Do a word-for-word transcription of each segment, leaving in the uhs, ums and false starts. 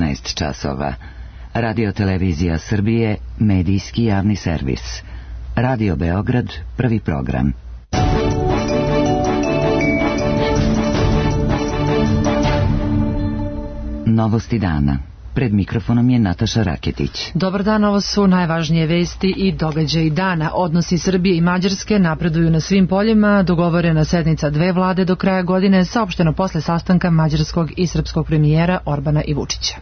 četrnaest časova. Radio Televizija Srbije, medijski javni servis. Radio Beograd, prvi program. Novosti dana. Pred mikrofonom je Nataša Raketić. Dobar dan, ovo su najvažnije vesti i događaji dana. Odnosi Srbije i Mađarske napreduju na svim poljima. Dogovorena sednica dve vlade do kraja godine, saopšteno posle sastanka mađarskog i srpskog premijera Orbana i Vučića.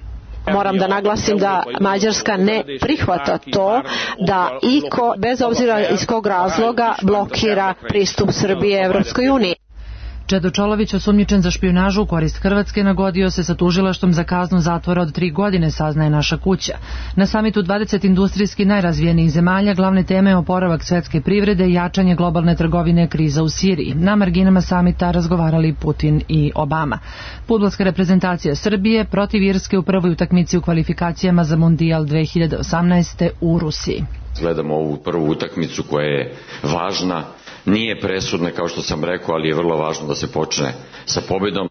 Moram da naglasim da Mađarska ne prihvata to da iko, bez obzira iz kog razloga, blokira pristup Srbije Evropskoj uniji. Čedo Čolović, osumnjičen za špijunažu u korist Hrvatske, nagodio se sa tužilaštvom za kaznu zatvora od tri godine, saznaje Naša kuća. Na samitu dvadeset industrijski najrazvijenijih zemalja glavne teme je oporavak svetske privrede i jačanje globalne trgovine, kriza u Siriji. Na marginama samita razgovarali Putin i Obama. Fudbalska reprezentacija Srbije protiv Irske u prvoj utakmici u kvalifikacijama za Mundijal dve hiljade osamnaeste. u Rusiji. Gledamo ovu prvu utakmicu koja je važna. Nije presudne, kao što sam rekao, ali je vrlo važno da se počne sa pobjedom.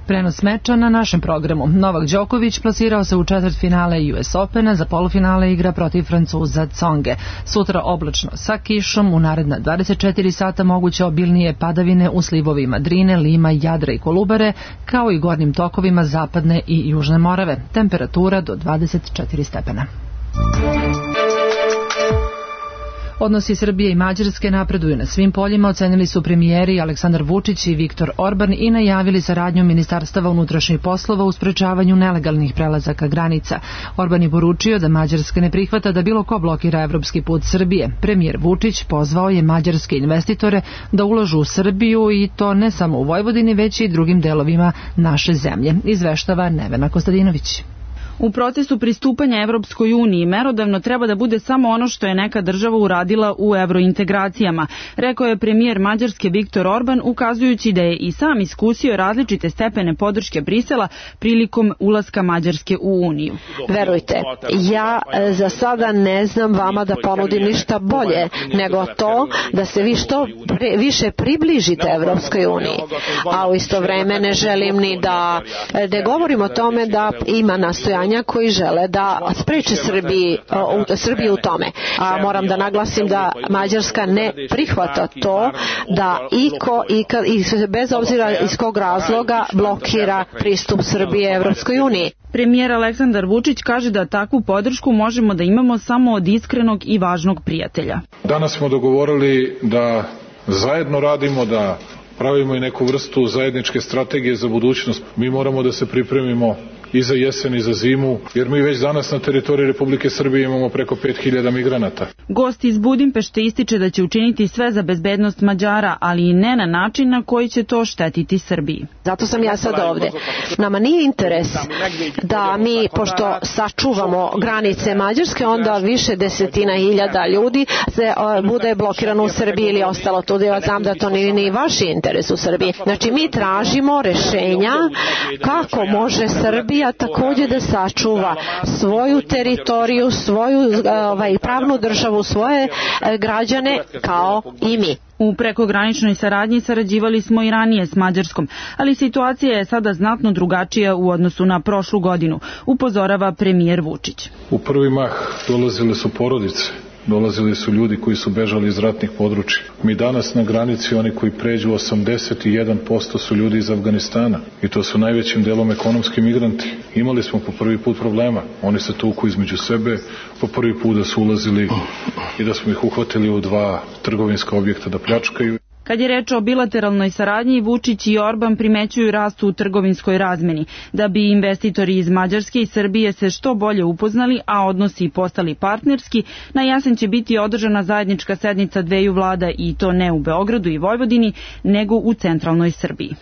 Prenos meča na našem programu. Novak Đoković plasirao se u četvrtfinale U S Opena, za polufinale igra protiv Francuza Tsonge. Sutra oblačno sa kišom, u naredna dvadeset četiri sata moguće obilnije padavine u slivovima Drine, Lima, Jadra i Kolubare, kao i gornjim tokovima zapadne i južne Morave. Temperatura do dvadeset četiri stepena. Odnosi Srbije i Mađarske napreduju na svim poljima, ocenili su premijeri Aleksandar Vučić i Viktor Orban i najavili saradnju ministarstava unutrašnjih poslova u sprečavanju nelegalnih prelazaka granica. Orban je poručio da Mađarska ne prihvata da bilo ko blokira evropski put Srbije. Premijer Vučić pozvao je mađarske investitore da ulažu u Srbiju i to ne samo u Vojvodini, već i drugim delovima naše zemlje. Izveštava Nevena Kostadinović. U procesu pristupanja Evropskoj uniji merodavno treba da bude samo ono što je neka država uradila u evrointegracijama, rekao je premijer Mađarske Viktor Orban, ukazujući da je i sam iskusio različite stepene podrške Brisela prilikom ulaska Mađarske u Uniju. Verujte, ja za sada ne znam vama da ponudim ništa bolje nego to da se vi što pre, više približite Evropskoj uniji, a u isto vreme ne želim ni da ne govorim o tome da ima nastojanja koji žele da spreče Srbiji, u, Srbiju u tome. A moram da naglasim da Mađarska ne prihvata to da iko, ika, i bez obzira iz kog razloga, blokira pristup Srbije Evropskoj uniji. Premijer Aleksandar Vučić kaže da takvu podršku možemo da imamo samo od iskrenog i važnog prijatelja. Danas smo dogovorili da zajedno radimo, da pravimo i neku vrstu zajedničke strategije za budućnost. Mi moramo da se pripremimo i za jesen i za zimu, jer mi već danas na teritoriji Republike Srbije imamo preko pet hiljada migranata. Gost iz Budimpešte ističe da će učiniti sve za bezbednost Mađara, ali i ne na način na koji će to štetiti Srbiji. Zato sam ja sad ovde. Nama nije interes da mi, pošto sačuvamo granice Mađarske, onda više desetina hiljada ljudi se bude blokirano u Srbiji ili ostalo tu. Ja znam da to nije ni vaš interes u Srbiji. Znači mi tražimo rešenja kako može Srbija također da sačuva svoju teritoriju, svoju ovaj, pravnu državu, svoje građane kao i mi. U prekograničnoj saradnji sarađivali smo i ranije s Mađarskom, ali situacija je sada znatno drugačija u odnosu na prošlu godinu, upozorava premijer Vučić. U prvi mah dolazile su porodice, dolazili su ljudi koji su bežali iz ratnih područja. Mi danas na granici, oni koji pređu osamdeset jedan posto su ljudi iz Afganistana i to su najvećim delom ekonomski migranti. Imali smo po prvi put problema. Oni se tuku između sebe, po prvi put da su ulazili i da smo ih uhvatili u dva trgovinska objekta da pljačkaju. Kad je reč o bilateralnoj saradnji, Vučić i Orban primećuju rast u trgovinskoj razmeni, da bi investitori iz Mađarske i Srbije se što bolje upoznali, a odnosi postali partnerski. Na jesen će biti održana zajednička sednica dveju vlada i to ne u Beogradu i Vojvodini, nego u centralnoj Srbiji.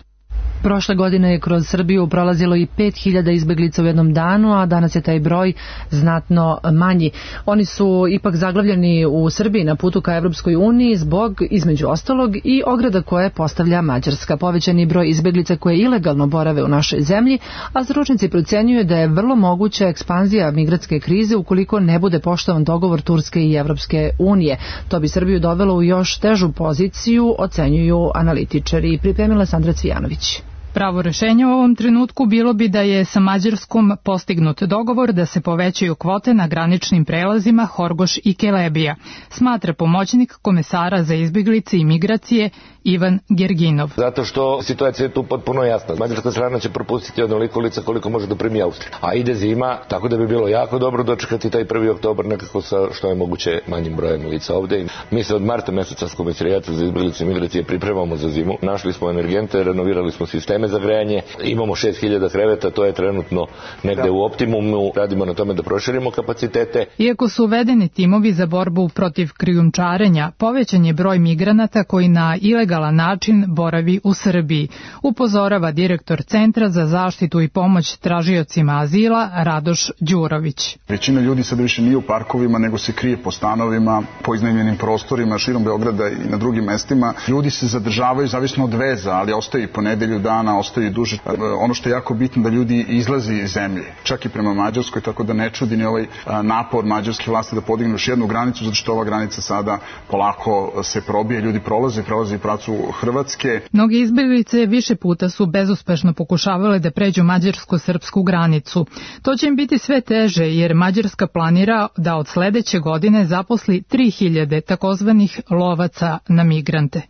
Prošle godine je kroz Srbiju prolazilo i pet hiljada izbeglica u jednom danu, a danas je taj broj znatno manji. Oni su ipak zaglavljeni u Srbiji na putu ka Evropskoj uniji zbog, između ostalog, i ograda koje postavlja Mađarska. Povećani broj izbeglica koje ilegalno borave u našoj zemlji, a stručnjaci procenjuju da je vrlo moguća ekspanzija migrantske krize ukoliko ne bude poštovan dogovor Turske i Evropske unije. To bi Srbiju dovelo u još težu poziciju, ocenjuju analitičari. Pripremila Sandra Cvijanović. Pravo rešenje u ovom trenutku bilo bi da je sa Mađarskom postignut dogovor da se povećaju kvote na graničnim prelazima Horgoš i Kelebija, smatra pomoćnik komesara za izbjeglice i migracije Ivan Gerginov. Zato što situacija je tu potpuno jasna. Mađarska strana će propustiti onoliko lica koliko može da primi Austrija. A ide zima, tako da bi bilo jako dobro dočekati taj prvi oktobar nekako sa što je moguće manjim brojem lica ovde. Mi se od marta meseca s Komesarijata za izbjeglice i migracije pripremamo za zimu. Našli smo energente, renovirali smo sisteme za grejanje, imamo šest hiljada kreveta, to je trenutno negde u optimumu. Radimo na tome da proširimo kapacitete. Iako su uvedeni timovi za borbu protiv krijumčarenja, povećan je broj migranata koji na ilegalan način boravi u Srbiji, upozorava direktor Centra za zaštitu i pomoć tražiocima azila Radoš Đurović. Većina ljudi sad više nije u parkovima, nego se krije po stanovima, po iznajmljenim prostorima širom Beograda i na drugim mestima. Ljudi se zadržavaju zavisno od veza, ali ostaju i po nedelju dana, ostaju i duže. Ono što je jako bitno da ljudi izlazi iz zemlje, čak i prema Mađarskoj, tako da ne čudi ni ovaj napor mađarske vlasti da podignu još jednu granicu, zato što ova granica sada polako se probije, ljudi prolaze, prolaze i pracu Hrvatske. Mnogi izbjeglice više puta su bezuspešno pokušavale da pređu mađarsko-srpsku granicu. To će im biti sve teže jer Mađarska planira da od sledeće godine zaposli tri hiljade takozvanih lovaca na migrante.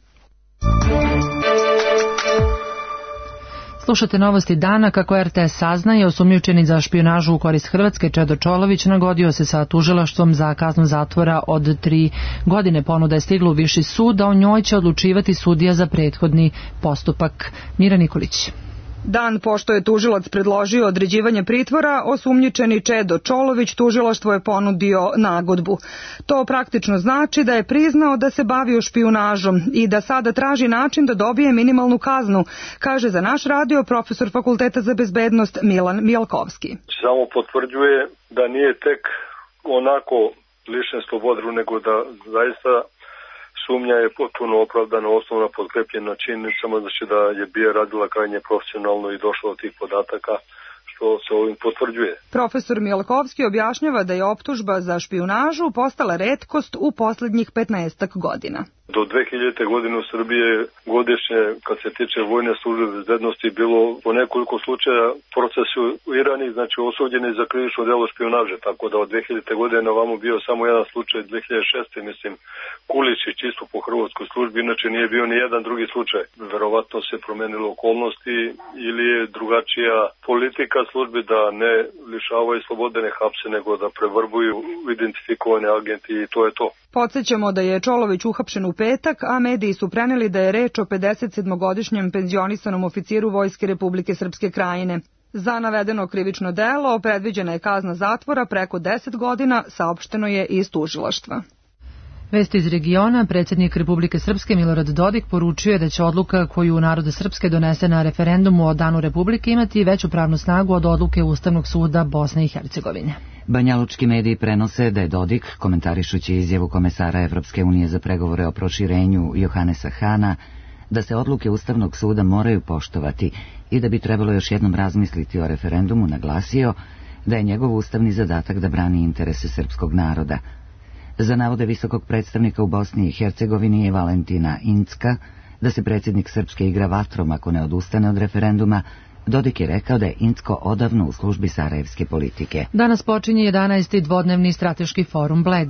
Slušate novosti dana. Kako er te es saznaje, osumnjičeni za špijunažu u korist Hrvatske Čedo Čolović nagodio se sa tužilaštvom za kaznu zatvora od tri godine. Ponuda je stigla u Viši sud, a o njoj će odlučivati sudija za prethodni postupak. Mira Nikolić. Dan pošto je tužilac predložio određivanje pritvora, osumnjičeni Čedo Čolović tužilaštvo je ponudio nagodbu. To praktično znači da je priznao da se bavio špijunažom i da sada traži način da dobije minimalnu kaznu, kaže za naš radio profesor Fakulteta za bezbednost Milan Mijalkovski. Samo potvrđuje da nije tek onako lišen slobode, nego da zaista sumnja je potpuno opravdana, osnovna, potkrepljena činjenicama, znači da je bija radila krajnje profesionalno i došla od tih podataka, što se ovim potvrđuje. Profesor Mijalkovski objašnjava da je optužba za špijunažu postala retkost u poslednjih petnaestak godina. Do dve hiljadite. godine u Srbiji godišnje, kad se tiče vojne službe bezbednosti, bilo po nekoliko slučaja procesuiranih, znači osuđeni za krivično delo špijunaže, tako da od dve hiljadite. godine na vamo bio samo jedan slučaj, dve hiljade šeste. mislim, Kuličić isto po hrvatskoj službi, inače nije bio ni jedan drugi slučaj. Verovatno se promenilo okolnosti ili je drugačija politika službi da ne lišavaju slobode, ne hapse, nego da prevrbuju identifikovane agenti i to je to. Podsjećamo da je Čolović uhapšen u petak, a mediji su preneli da je reč o pedesetsedmogodišnjem penzionisanom oficiru Vojske Republike Srpske Krajine. Za navedeno krivično delo predviđena je kazna zatvora preko deset godina, saopšteno je iz tužilaštva. Vest iz regiona. Predsjednik Republike Srpske Milorad Dodik poručio je da će odluka koju narod Srpske donese na referendumu o Danu Republike imati veću pravnu snagu od odluke Ustavnog suda Bosne i Hercegovine. Banjalučki mediji prenose da je Dodik, komentarišući izjavu komesara Evropske unije za pregovore o proširenju Johanesa Hana, da se odluke Ustavnog suda moraju poštovati i da bi trebalo još jednom razmisliti o referendumu, naglasio da je njegov ustavni zadatak da brani interese srpskog naroda. Za navode visokog predstavnika u Bosni i Hercegovini je Valentina Incka da se predsjednik Srpske igra vatrom ako ne odustane od referenduma. Dodik je rekao da je Incko odavno u službi sarajevske politike. Danas počinje jedanaesti dvodnevni strateški forum Bled.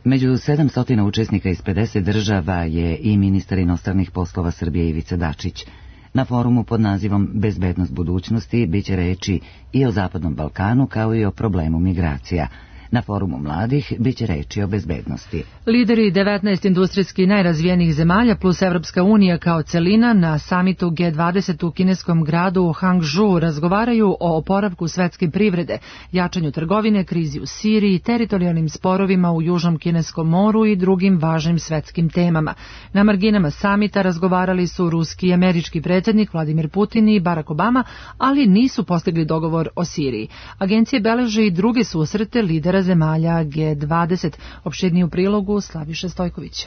Među sedamsto učesnika iz pedeset država je i ministar inostranih poslova Srbije Ivica Dačić. Na forumu pod nazivom Bezbednost budućnosti biće reči i o Zapadnom Balkanu kao i o problemu migracija. Na forumu mladih biće reči o bezbednosti. Lideri devetnaest industrijski najrazvijenijih zemalja plus Evropska unija kao celina na samitu G dvadeset u kineskom gradu Hangzhou razgovaraju o oporavku svetske privrede, jačanju trgovine, krizi u Siriji, teritorijalnim sporovima u Južnom kineskom moru i drugim važnim svetskim temama. Na marginama samita razgovarali su ruski i američki predsjednik Vladimir Putin i Barack Obama, ali nisu postigli dogovor o Siriji. Agencije beleže i druge susrete lidera zemalja G dvadeset. Opširniji u prilogu Slaviša Stojković.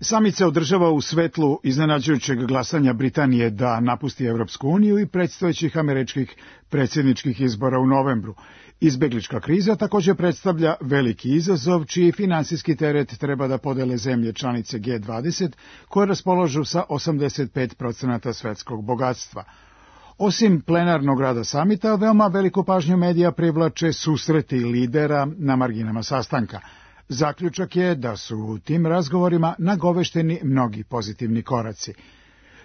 Samit se održava u svetlu iznenađujućeg glasanja Britanije da napusti Evropsku uniju i predstojećih američkih predsjedničkih izbora u novembru. Izbeglička kriza također predstavlja veliki izazov čiji finansijski teret treba da podele zemlje članice G dvadeset koje raspolažu sa osamdeset pet procenata svetskog bogatstva. Osim plenarnog rada samita, veoma veliku pažnju medija privlače susreti lidera na marginama sastanka. Zaključak je da su u tim razgovorima nagovešteni mnogi pozitivni koraci.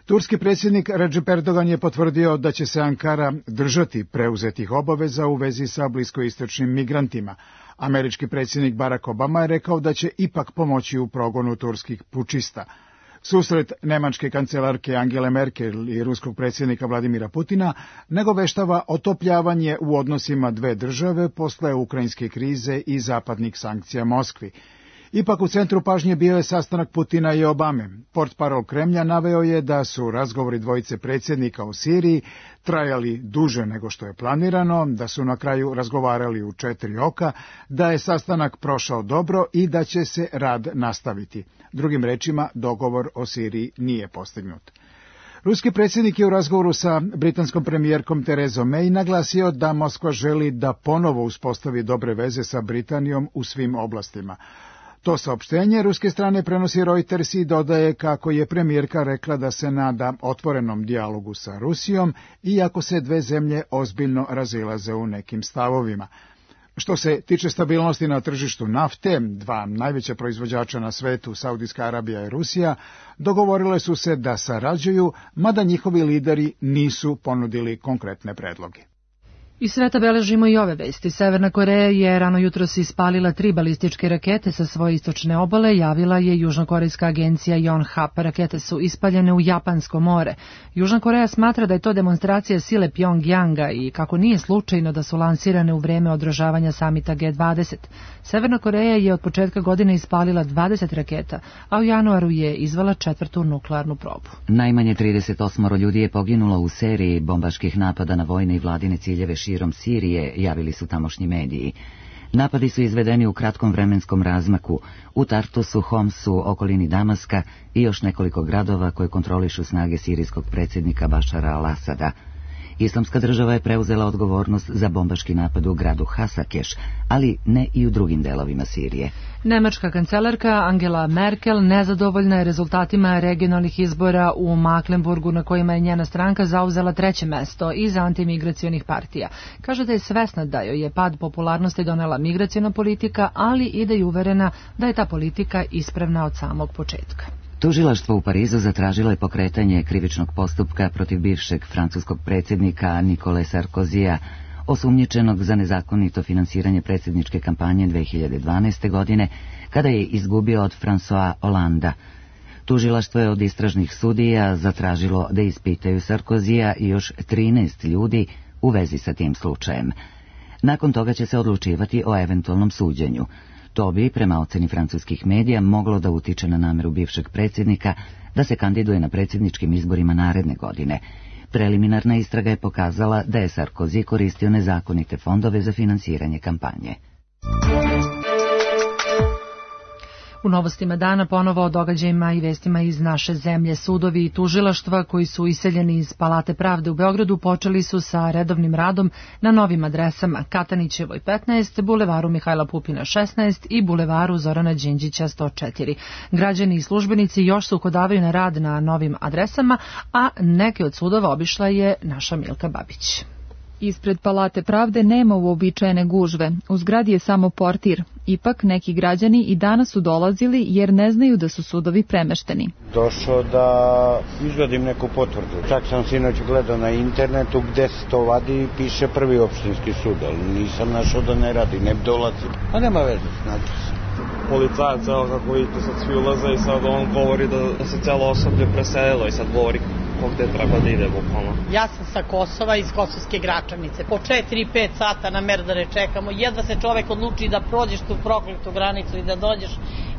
Turski predsjednik Recep Erdogan je potvrdio da će se Ankara držati preuzetih obaveza u vezi sa bliskoistočnim migrantima. Američki predsjednik Barack Obama je rekao da će ipak pomoći u progonu turskih pučista. Susret nemačke kancelarke Angele Merkel i ruskog predsjednika Vladimira Putina nagoveštava otopljavanje u odnosima dve države posle ukrajinske krize i zapadnih sankcija Moskvi. Ipak u centru pažnje bio je sastanak Putina i Obame. Portparol Kremlja naveo je da su razgovori dvojice predsjednika o Siriji trajali duže nego što je planirano, da su na kraju razgovarali u četiri oka, da je sastanak prošao dobro i da će se rad nastaviti. Drugim rečima, dogovor o Siriji nije postignut. Ruski predsjednik je u razgovoru sa britanskom premijerkom Terezom May naglasio da Moskva želi da ponovo uspostavi dobre veze sa Britanijom u svim oblastima. To saopštenje ruske strane prenosi Reuters i dodaje kako je premijerka rekla da se nada otvorenom dijalogu sa Rusijom, iako se dve zemlje ozbiljno razilaze u nekim stavovima. Što se tiče stabilnosti na tržištu nafte, dva najveća proizvođača na svetu, Saudijska Arabija i Rusija, dogovorile su se da sarađuju, mada njihovi lideri nisu ponudili konkretne predloge. Iz sveta beležimo i ove vesti. Severna Koreja je rano jutros ispalila tri balističke rakete sa svoje istočne obale, javila je južnokorejska agencija Yonhap. Rakete su ispaljene u Japansko more. Južna Koreja smatra da je to demonstracija sile Pjongjanga i kako nije slučajno da su lansirane u vreme održavanja samita G dvadeset. Severna Koreja je od početka godine ispalila dvadeset raketa, a u januaru je izvala četvrtu nuklearnu probu. Najmanje trideset osam ljudi je poginulo u seriji bombaških napada na vojne i vladine ciljeve širom Sirije, javili su tamošnji mediji. Napadi su izvedeni u kratkom vremenskom razmaku u Tartusu, Homsu, okolini Damaska i još nekoliko gradova koje kontrolišu snage sirijskog predsjednika Bašara al-Asada. Islamska država je preuzela odgovornost za bombaški napad u gradu Hasakeš, ali ne i u drugim delovima Sirije. Nemačka kancelarka Angela Merkel nezadovoljna je rezultatima regionalnih izbora u Mecklenburgu na kojima je njena stranka zauzela treće mesto iz antimigracionih partija. Kaže da je svesna da joj je pad popularnosti donela migraciona politika, ali i da je uverena da je ta politika ispravna od samog početka. Tužilaštvo u Parizu zatražilo je pokretanje krivičnog postupka protiv bivšeg francuskog predsjednika Nikole Sarkozija, osumnjičenog za nezakonito finansiranje predsjedničke kampanje dve hiljade dvanaeste. godine, kada je izgubio od François Hollanda. Tužilaštvo je od istražnih sudija zatražilo da ispitaju Sarkozija i još trinaest ljudi u vezi sa tim slučajem. Nakon toga će se odlučivati o eventualnom suđenju. To bi, prema oceni francuskih medija, moglo da utiče na nameru bivšeg predsjednika da se kandiduje na predsjedničkim izborima naredne godine. Preliminarna istraga je pokazala da je Sarkozy koristio nezakonite fondove za finansiranje kampanje. U novostima dana ponovo o događajima i vestima iz naše zemlje. Sudovi i tužilaštva koji su iseljeni iz Palate pravde u Beogradu počeli su sa redovnim radom na novim adresama Katanićevoj petnaest, Bulevaru Mihajla Pupina šesnaest i Bulevaru Zorana Đinđića sto četiri. Građani i službenici još se uhodavaju na rad na novim adresama, a neke od sudova obišla je naša Milka Babić. Ispred Palate pravde nema uobičajene gužve. U zgradi je samo portir. Ipak neki građani i danas su dolazili jer ne znaju da su sudovi premešteni. Došao da izvadim neku potvrdu. Čak sam sinoć gledao na internetu gde se to vadi i piše prvi opštinski sud, ali nisam našao da ne radi, ne dolazim. A nema veze, znači se. Policajac, evo kako vidite, sad svi ulaze i sad on govori da, da se cijelo osoblje preselilo i sad govori ko gde treba da ide, bukvalno. Ja sam sa Kosova, iz Kosovske Gračanice. Po četiri pet sata na merdare čekamo, jedva se čovek odluči da prođeš tu prokletu granicu i da dođeš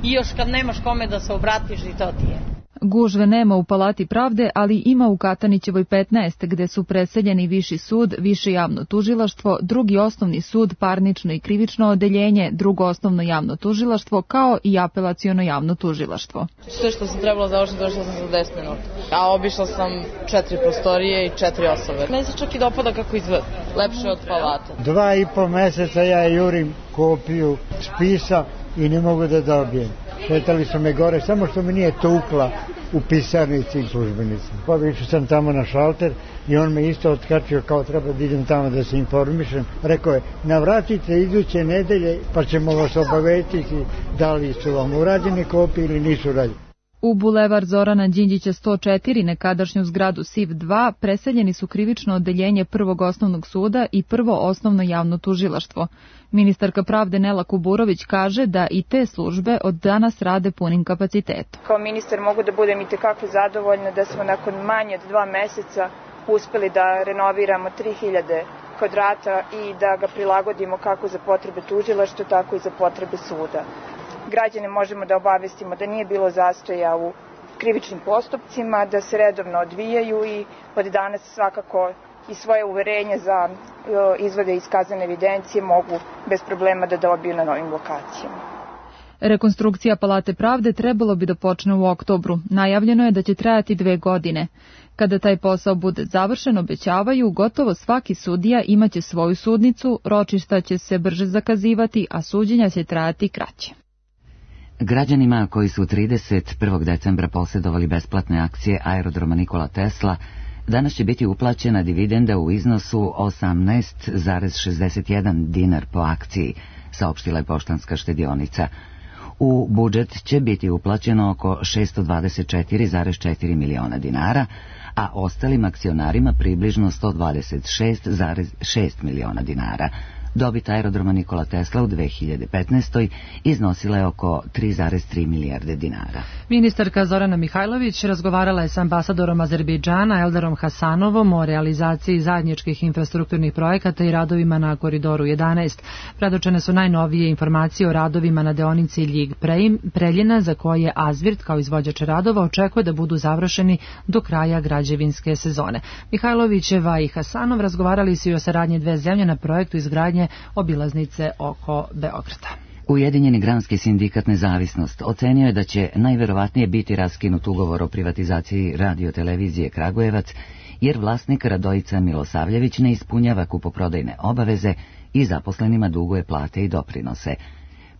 i još kad nemaš kome da se obratiš i to ti je. Gužve nema u Palati pravde, ali ima u Katanićevoj petnaest, gde su preseljeni Viši sud, Više javno tužilaštvo, Drugi osnovni sud, Parnično i krivično odeljenje, Drugo osnovno javno tužilaštvo, kao i Apelaciono javno tužilaštvo. Sve što sam trebala završiti, došla sam za deset minuta. A obišla sam četiri prostorije i četiri osobe. Meni se čak i dopada kako izgleda, lepše od Palate. Dva i po meseca ja jurim kopiju spisa i ne mogu da dobijem. Šetali su me gore, samo što mi nije tukla u pisarnici službenici. Pa više sam tamo na šalter i on me isto otkačio kao treba da idem tamo da se informišem. Rekao je, navratite iduće nedelje pa ćemo vas obavestiti da li su vam urađene kopije ili nisu urađene. U bulevar Zorana Đinđića sto četiri, nekadašnju zgradu S I V dva, preseljeni su krivično odeljenje Prvog osnovnog suda i Prvo osnovno javno tužilaštvo. Ministarka pravde Nela Kuburović kaže da i te službe od danas rade punim kapacitetom. Kao ministar mogu da budem i tekako zadovoljna da smo nakon manje od dva meseca uspeli da renoviramo tri hiljade kvadrata i da ga prilagodimo kako za potrebe tužilaštva, tako i za potrebe suda. Građane možemo da obavestimo da nije bilo zastoja u krivičnim postupcima, da se redovno odvijaju i od danas svakako i svoje uverenje za izvode iz kaznene evidencije mogu bez problema da dobiju na novim lokacijama. Rekonstrukcija Palate pravde trebalo bi da počne u oktobru. Najavljeno je da će trajati dve godine. Kada taj posao bude završen, obećavaju, gotovo svaki sudija imaće svoju sudnicu, ročišta će se brže zakazivati, a suđenja će trajati kraće. Građanima koji su trideset prvog decembra posjedovali besplatne akcije aerodroma Nikola Tesla, danas će biti uplaćena dividenda u iznosu osamnaest zarez šezdeset jedan dinar po akciji, saopštila je Poštanska štedionica. U budžet će biti uplaćeno oko šessto dvadeset četiri zarez četiri miliona dinara, a ostalim akcionarima približno sto dvadeset šest zarez šest miliona dinara. Dobit aerodroma Nikola Tesla u dve hiljade petnaestoj iznosila je oko tri zarez tri milijarde dinara. Ministarka Zorana Mihajlović razgovarala je s ambasadorom Azerbejdžana Eldarom Hasanovom o realizaciji zajedničkih infrastrukturnih projekata i radovima na Koridoru jedanaest. Predočene su najnovije informacije o radovima na deonici Ljig-Preljina, za koje Azvirt kao izvođač radova očekuje da budu završeni do kraja građevinske sezone. Mihajlovićeva i Hasanov razgovarali su i o saradnji dve zemlje na projektu izgradnje obilaznice oko Beograda. Ujedinjeni granski sindikat Nezavisnost ocenio je da će najverovatnije biti raskinut ugovor o privatizaciji radiotelevizije Kragujevac, jer vlasnik Radojica Milosavljević ne ispunjava kupoprodajne obaveze i zaposlenima duguje plate i doprinose.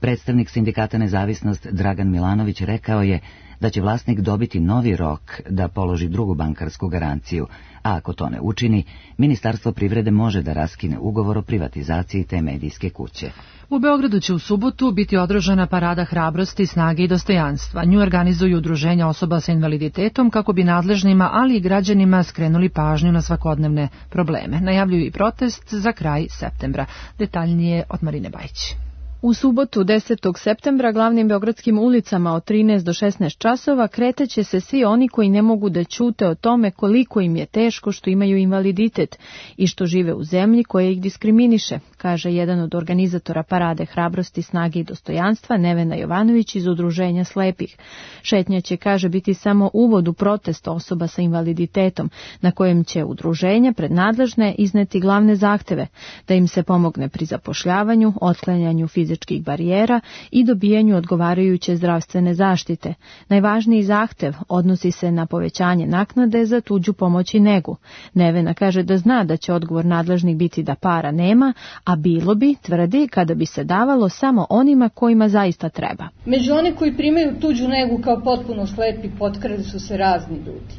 Predstavnik sindikata Nezavisnost Dragan Milanović rekao je da će vlasnik dobiti novi rok da položi drugu bankarsku garanciju, a ako to ne učini, Ministarstvo privrede može da raskine ugovor o privatizaciji te medijske kuće. U Beogradu će u subotu biti održana parada hrabrosti, snage i dostojanstva. Nju organizuju udruženja osoba sa invaliditetom kako bi nadležnima, ali i građanima skrenuli pažnju na svakodnevne probleme. Najavljuju i protest za kraj septembra. Detaljnije od Marine Bajić. U subotu desetog septembra glavnim beogradskim ulicama od trinaest do šesnaest časova kretaće se svi oni koji ne mogu da ćute o tome koliko im je teško što imaju invaliditet i što žive u zemlji koja ih diskriminiše, kaže jedan od organizatora parade hrabrosti, snage i dostojanstva Nevena Jovanović iz Udruženja slepih. Šetnja će, kaže, biti samo uvod u protest osoba sa invaliditetom, na kojem će udruženja pred nadležne izneti glavne zahteve, da im se pomogne pri zapošljavanju, otklanjanju fizičkih fizičkih barijera i dobijanju odgovarajuće zdravstvene zaštite. Najvažniji zahtev odnosi se na povećanje naknade za tuđu pomoć i negu. Nevena kaže da zna da će odgovor nadležnih biti da para nema, a bilo bi, tvrdi, kada bi se davalo samo onima kojima zaista treba. Među oni koji primaju tuđu negu kao potpuno slepi potkrali su se razni ljudi.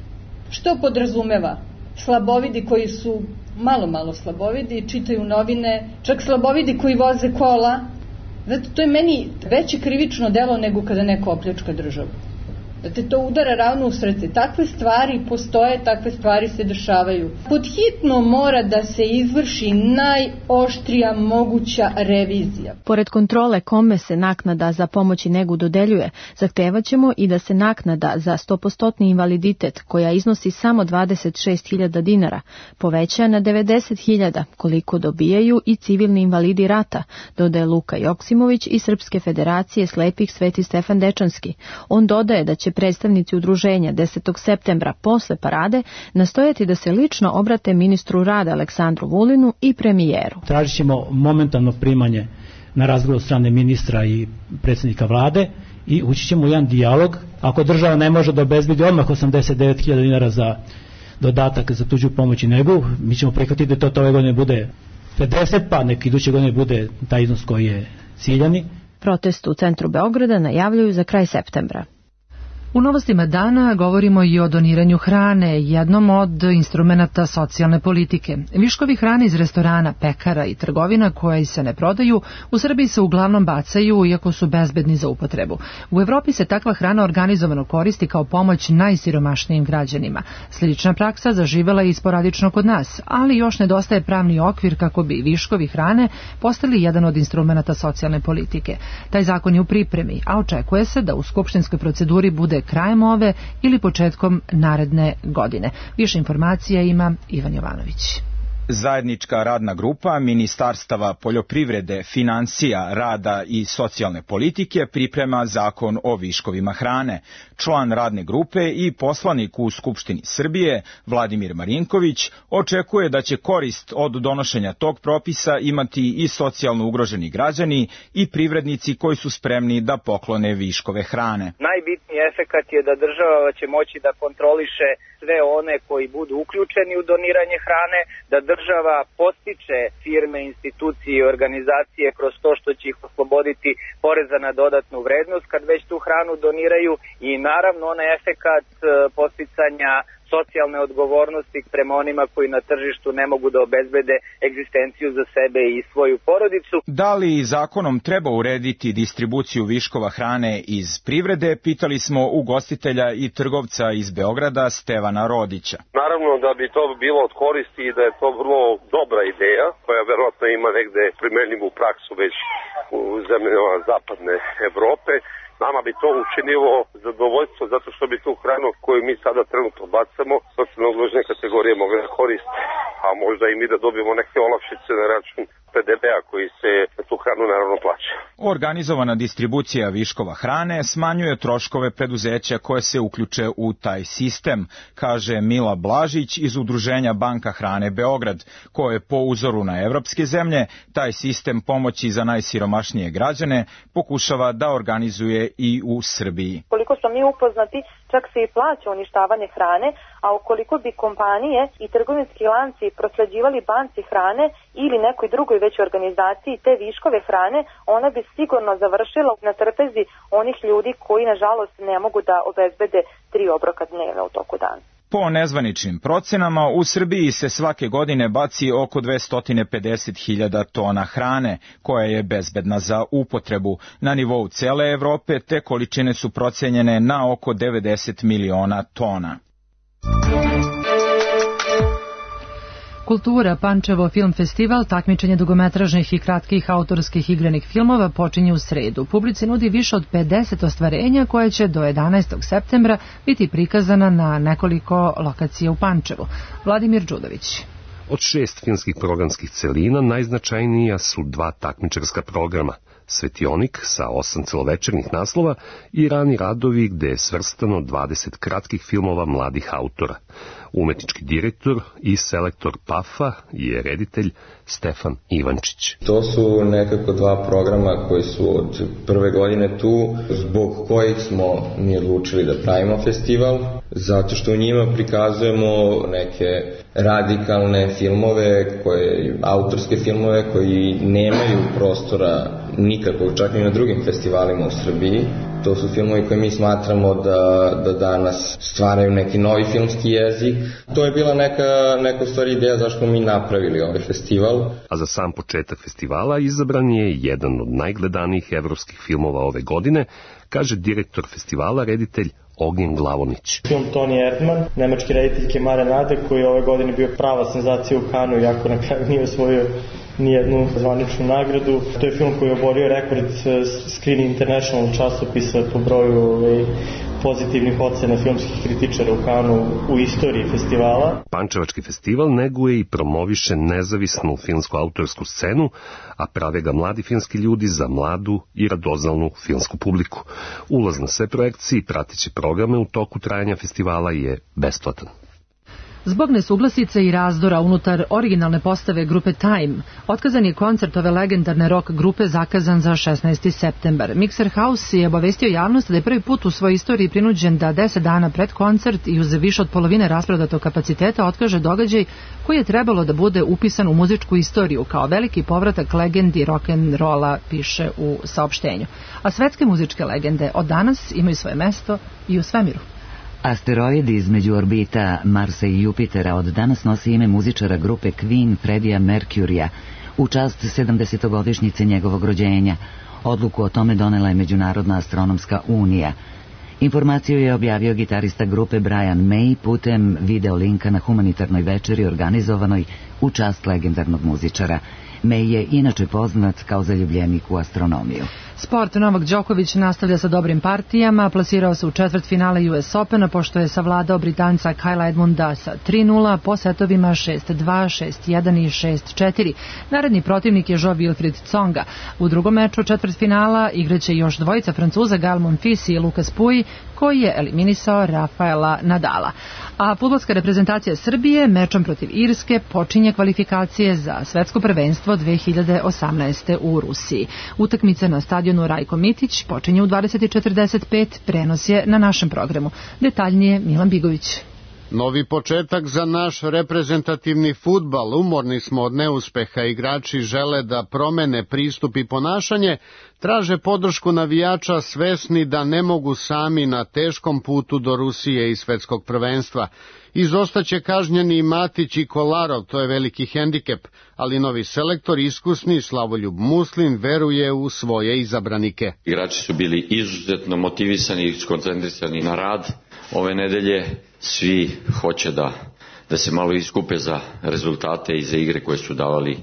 Što podrazumeva? Slabovidi koji su malo, malo slabovidi, čitaju novine, čak slabovidi koji voze kola. Znate, to je meni veće krivično delo nego kada neko opljačka državu. Znate, to udara ravno u srce. Takve stvari postoje, takve stvari se dešavaju. Podhitno mora da se izvrši najoštrija moguća revizija. Pored kontrole kome se naknada za pomoć i negu dodeljuje, zahtevaćemo i da se naknada za sto posto invaliditet, koja iznosi samo dvadeset šest hiljada dinara, poveća na devedeset hiljada, koliko dobijaju i civilni invalidi rata, dodaje Luka Joksimović iz Srpske federacije slepih Sveti Stefan Dečanski. On dodaje da će predstavnici udruženja desetog septembra posle parade nastojati da se lično obrate ministru rada Aleksandru Vulinu i premijeru. Tražit ćemo momentalno primanje na razgovor od strane ministra i predsjednika vlade i ući ćemo u jedan dijalog. Ako država ne može da obezbedi odmah osamdeset devet hiljada dinara za dodatak za tuđu pomoć i negu, mi ćemo prihvatiti da to ove godine bude pedeset, pa nek iduće godine bude taj iznos koji je ciljani. Protest u centru Beograda najavljuju za kraj septembra. U novostima dana govorimo i o doniranju hrane, jednom od instrumenata socijalne politike. Viškovi hrane iz restorana, pekara i trgovina koje se ne prodaju u Srbiji se uglavnom bacaju iako su bezbedni za upotrebu. U Evropi se takva hrana organizovano koristi kao pomoć najsiromašnijim građanima. Slična praksa zaživela i sporadično kod nas, ali još nedostaje pravni okvir kako bi viškovi hrane postali jedan od instrumenata socijalne politike. Taj zakon je u pripremi, a očekuje se da u skupštinskoj proceduri bude krajem ove ili početkom naredne godine. Više informacija ima Ivan Jovanović. Zajednička radna grupa Ministarstava poljoprivrede, financija, rada i socijalne politike priprema zakon o viškovima hrane. Član radne grupe i poslanik u Skupštini Srbije, Vladimir Marinković, očekuje da će korist od donošenja tog propisa imati i socijalno ugroženi građani i privrednici koji su spremni da poklone viškove hrane. Najbitniji efekat je da država će moći da kontroliše sve one koji budu uključeni u doniranje hrane, da država postiče firme, institucije i organizacije kroz to što će ih osloboditi poreza na dodatnu vrednost kad već tu hranu doniraju i naravno onaj efekat posticanja socijalne odgovornosti prema onima koji na tržištu ne mogu da obezbede egzistenciju za sebe i svoju porodicu. Da li zakonom treba urediti distribuciju viškova hrane iz privrede, pitali smo ugostitelja i trgovca iz Beograda Stevana Rodića. Naravno da bi to bilo od koristi i da je to vrlo dobra ideja koja verovatno ima negde primenljivu praksu već u zemljama zapadne Evrope. Nama bi to učinilo zadovoljstvo zato što bi tu hranu koju mi sada trenutno bacamo, socijalno ugrožene kategorije mogle da koriste, a možda i mi da dobijemo neke olakšice na račun P D B-a koji se na tu hranu naravno plaća. Organizovana distribucija viškova hrane smanjuje troškove preduzeća koje se uključe u taj sistem, kaže Mila Blažić iz Udruženja Banka hrane Beograd, koje po uzoru na evropske zemlje taj sistem pomoći za najsiromašnije građane pokušava da organizuje i u Srbiji. Koliko smo mi upoznati, čak se i plaća uništavanje hrane, a ukoliko bi kompanije i trgovinski lanci prosleđivali banci hrane ili nekoj drugoj već organizaciji te viškove hrane, ona bi sigurno završila na trpezi onih ljudi koji nažalost ne mogu da obezbede tri obroka dnevno u toku dana. Po nezvaničnim procenama, u Srbiji se svake godine baci oko dvesta pedeset hiljada tona hrane, koja je bezbedna za upotrebu. Na nivou cele Evrope te količine su procenjene na oko devedeset miliona tona. Kultura Pančevo film festival, takmičenje dugometražnih i kratkih autorskih igranih filmova počinje u sredu. Publici nudi više od pedeset ostvarenja koje će do jedanaestog septembra biti prikazana na nekoliko lokacija u Pančevu. Vladimir Đudović. Od šest filmskih programskih celina najznačajnija su dva takmičarska programa. Svetionik sa osam celovečernjih naslova i rani radovi gde je svrstano dvadeset kratkih filmova mladih autora. Umetnički direktor i selektor P A F-a je reditelj Stefan Ivančić. To su nekako dva programa koji su od prve godine tu, zbog kojih smo mi odlučili da pravimo festival, zato što u njima prikazujemo neke radikalne filmove, koje, autorske filmove koji nemaju prostora nikakvog, čak i na drugim festivalima u Srbiji. To su filmovi koje mi smatramo da, da danas stvaraju neki novi filmski jezik. To je bila neka, neka stvari ideja zašto mi napravili ovaj festival. A za sam početak festivala izabran je jedan od najgledanijih evropskih filmova ove godine, kaže direktor festivala, reditelj Ognjen Glavonić. Film Toni Erdmann, nemačke rediteljke Mare Nade, koji je ove godine bio prava senzacija u Kanu, iako na kraju nije osvojio nijednu zvaničnu nagradu. To je film koji je oborio rekord Screen International časopisa po broju ovaj, pozitivnih ocena filmskih kritičara u Kanu u istoriji festivala. Pančevački festival neguje i promoviše nezavisnu filmsku autorsku scenu, a prave ga mladi filmski ljudi za mladu i radoznalnu filmsku publiku. Ulaz na sve projekcije i prateće programe u toku trajanja festivala je besplatan. Zbog nesuglasice i razdora unutar originalne postave grupe Time, otkazan je koncert ove legendarne rock grupe zakazan za šesnaesti septembar. Mixer House je obavestio javnost da je prvi put u svojoj istoriji prinuđen da deset dana pred koncert i uz više od polovine rasprodatog kapaciteta otkaže događaj koji je trebalo da bude upisan u muzičku istoriju kao veliki povratak legendi rock'n'rolla, piše u saopštenju. A svetske muzičke legende od danas imaju svoje mesto i u svemiru. Asteroid između orbita Marsa i Jupitera od danas nosi ime muzičara grupe Queen Freddija Mercurya u čast sedamdesetogodišnjice njegovog rođenja. Odluku o tome donela je Međunarodna astronomska unija. Informaciju je objavio gitarista grupe Brian May putem video linka na humanitarnoj večeri organizovanoj u čast legendarnog muzičara. May je inače poznat kao zaljubljenik u astronomiju. Sport. Novak Đoković nastavlja sa dobrim partijama, plasirao se u četvrtfinale U S Opena pošto je savladao Britanca Kyla Edmunda sa tri nula po setovima šest dva, šest jedan i šest četiri. Naredni protivnik je Jo-Wilfried Tsonga. U drugom meču četvrtfinala igraće još dvojica Francuza, Gael Monfils i Lucas Pouille, koji je eliminisao Rafaela Nadala. A fudbalska reprezentacija Srbije mečom protiv Irske počinje kvalifikacije za svetsko prvenstvo dve hiljade osamnaeste. u Rusiji. Utakmice na stadionu Rajko Mitić počinje u dvadeset i četrdeset pet, prenos je na našem programu. Detaljnije Milan Bigović. Novi početak za naš reprezentativni fudbal. Umorni smo od neuspeha, igrači žele da promene pristup i ponašanje, traže podršku navijača svesni da ne mogu sami na teškom putu do Rusije i svetskog prvenstva. Izostaće kažnjeni i Matić i Kolarov, to je veliki hendikep, ali novi selektor, iskusni Slavoljub Muslin, veruje u svoje izabranike. Igrači su bili izuzetno motivisani i skoncentrisani na rad ove nedelje. Svi hoće da, da se malo iskupe za rezultate i za igre koje su davali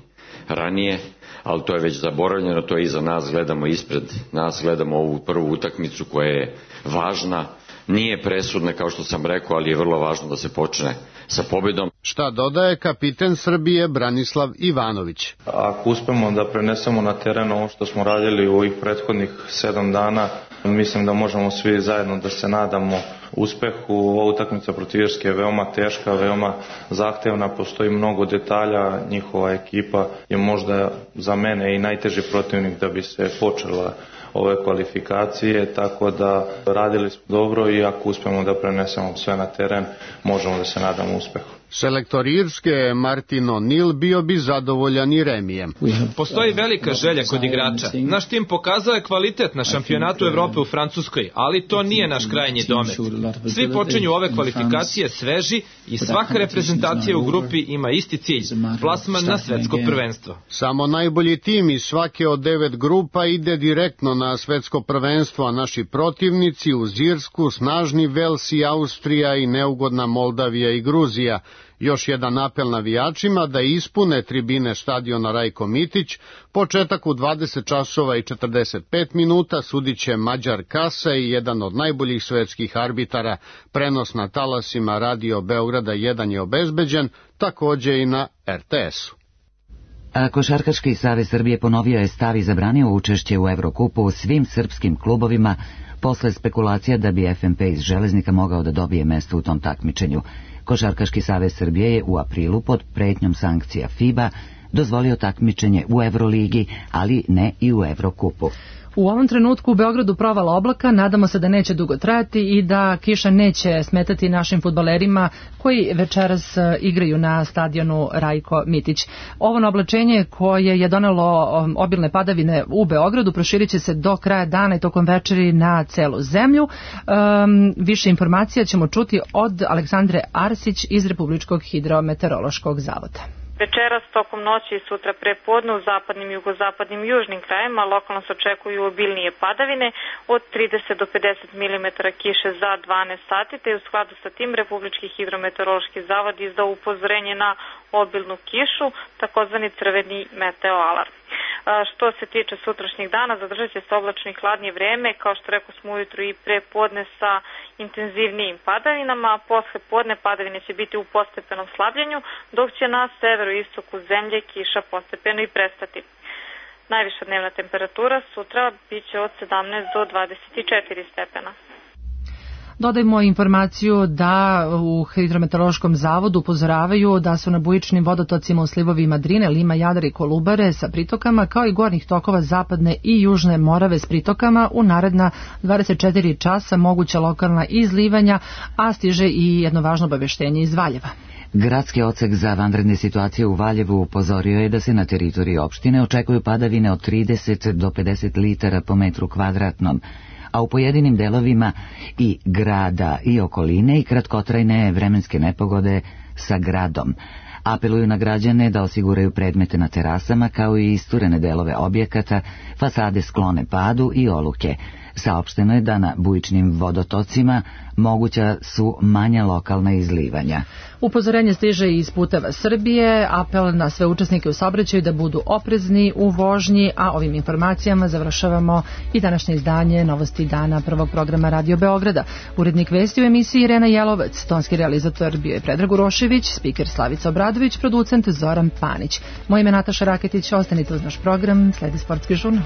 ranije, ali to je već zaboravljeno, to je iza nas, gledamo ispred nas, gledamo ovu prvu utakmicu koja je važna, nije presudna kao što sam rekao, ali je vrlo važno da se počne sa pobjedom. Šta dodaje kapiten Srbije Branislav Ivanović. Ako uspemo da prenesemo na teren ovo što smo radili u ovih prethodnih sedam dana, mislim da možemo svi zajedno da se nadamo uspehu. Ova utakmica protiv Irske je veoma teška, veoma zahtevna, postoji mnogo detalja, njihova ekipa je možda za mene i najteži protivnik da bi se počela ove kvalifikacije, tako da radili smo dobro i ako uspemo da prenesemo sve na teren, možemo da se nadamo uspehu. Selektor Irske Martin O'Neill bio bi zadovoljan i remijem. Postoji velika želja kod igrača. Naš tim pokazao je kvalitet na šampionatu Evrope u Francuskoj, ali to nije naš krajnji domet. Svi počinju ove kvalifikacije sveži i svaka reprezentacija u grupi ima isti cilj, plasman na svetsko prvenstvo. Samo najbolji tim iz svake od devet grupa ide direktno na svetsko prvenstvo, a naši protivnici uz Irsku, snažni Vels i Austrija i neugodna Moldavija i Gruzija. Još jedan apel navijačima da ispune tribine stadiona Rajko Mitić. Početak u dvadeset časova i četrdeset pet minuta sudiće Mađar Kasa i jedan od najboljih svetskih arbitara. Prenos na talasima Radio Beograda jedan je obezbeđen, takođe i na R T S-u. A Košarkaški savez Srbije ponovio je stav i zabranio učešće u Evrokupu u svim srpskim klubovima posle spekulacija da bi F N P iz Železnika mogao da dobije mesto u tom takmičenju. Košarkaški savez Srbije je u aprilu pod pretnjom sankcija FIBA dozvolio takmičenje u Evroligi, ali ne i u Evrokupu. U ovom trenutku u Beogradu provala oblaka, nadamo se da neće dugo trajati i da kiša neće smetati našim fudbalerima koji večeras igraju na stadionu Rajko Mitić. Ovo oblačenje koje je donelo obilne padavine u Beogradu proširit će se do kraja dana i tokom večeri na celu zemlju. Um, više informacija ćemo čuti od Aleksandre Arsić iz Republičkog hidrometeorološkog zavoda. Večeras, tokom noći i sutra prepodne u zapadnim, jugozapadnim i južnim krajevima lokalno se očekuju obilnije padavine od trideset do pedeset milimetara kiše za dvanaest sati, te u skladu sa tim Republički hidrometeorološki zavod izdao upozorenje na obilnu kišu, takozvani crveni meteo alarm. Što se tiče sutrašnjeg dana, zadržat će se oblačno i hladnije vreme, kao što rekao smo ujutru i pre podne sa intenzivnijim padavinama. Posle podne padavine će biti u postepenom slabljenju, dok će na severu i istoku zemlje kiša postepeno i prestati. Najviša dnevna temperatura sutra biće od sedamnaest do dvadeset četiri stepena. Dodajmo informaciju da u Hidrometeorološkom zavodu upozoravaju da su na bujičnim vodotocima u slivovima Drine, Lima, Jadar i Kolubare sa pritokama, kao i gornjih tokova zapadne i južne Morave s pritokama u naredna dvadeset četiri časa moguća lokalna izlivanja, a stiže i jedno važno obaveštenje iz Valjeva. Gradski odsek za vanredne situacije u Valjevu upozorio je da se na teritoriji opštine očekuju padavine od trideset do pedeset litara po metru kvadratnom, a u pojedinim delovima i grada i okoline i kratkotrajne vremenske nepogode sa gradom. Apeluju na građane da osiguraju predmete na terasama kao i isturene delove objekata, fasade sklone padu i oluke. Saopšteno je da na bujičnim vodotocima moguća su manja lokalna izlivanja. Upozorenje stiže iz Puteva Srbije, apel na sve učesnike u saobraćaju da budu oprezni u vožnji, a ovim informacijama završavamo i današnje izdanje Novosti dana prvog programa Radio Beograda. Urednik vesti u emisiji Irena Jelovac, tonski realizator bio je Predrag Urošević, spiker Slavica Obradović, producent Zoran Panić. Moje ime Nataša Raketić, ostanite uz naš program, sledi sportski žurnal.